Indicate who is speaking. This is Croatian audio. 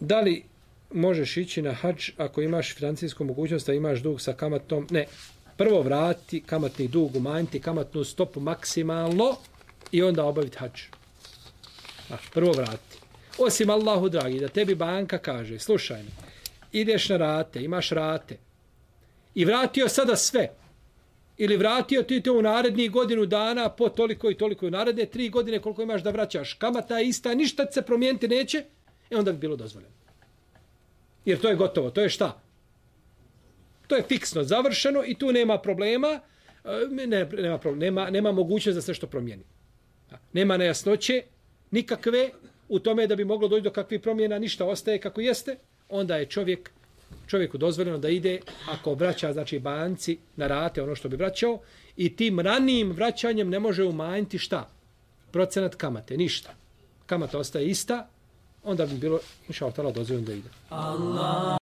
Speaker 1: Da li možeš ići na hadž ako imaš financijsku mogućnost da imaš dug sa kamatom? Ne. Prvo vrati kamatni dug, umanjiti kamatnu stopu maksimalno i onda obaviti hadž. Prvo vrati. Osim Allahu dragi, da tebi banka kaže, slušaj mi, ideš na rate, imaš rate i vratio sada sve. Ili vratio ti to u narednih godinu dana po toliko i toliko u naredne 3 godine koliko imaš da vraćaš. Kamata je ista, ništa se promijeniti neće, onda bi bilo dozvoljeno. Jer to je gotovo, to je šta? To je fiksno, završeno i tu nema problema, nema mogućnost da se što promijeni. Nema nejasnoće nikakve u tome da bi moglo doći do kakvih promjena, ništa ostaje kako jeste, onda je čovjeku dozvoljeno da ide, ako vraća, znači banci na rate ono što bi vraćao, i tim ranijim vraćanjem ne može umanjiti šta? Procenat kamate, ništa. Kamata ostaje ista, onda bi bilo, inša Allah, dozvoljeno da ide. Allah.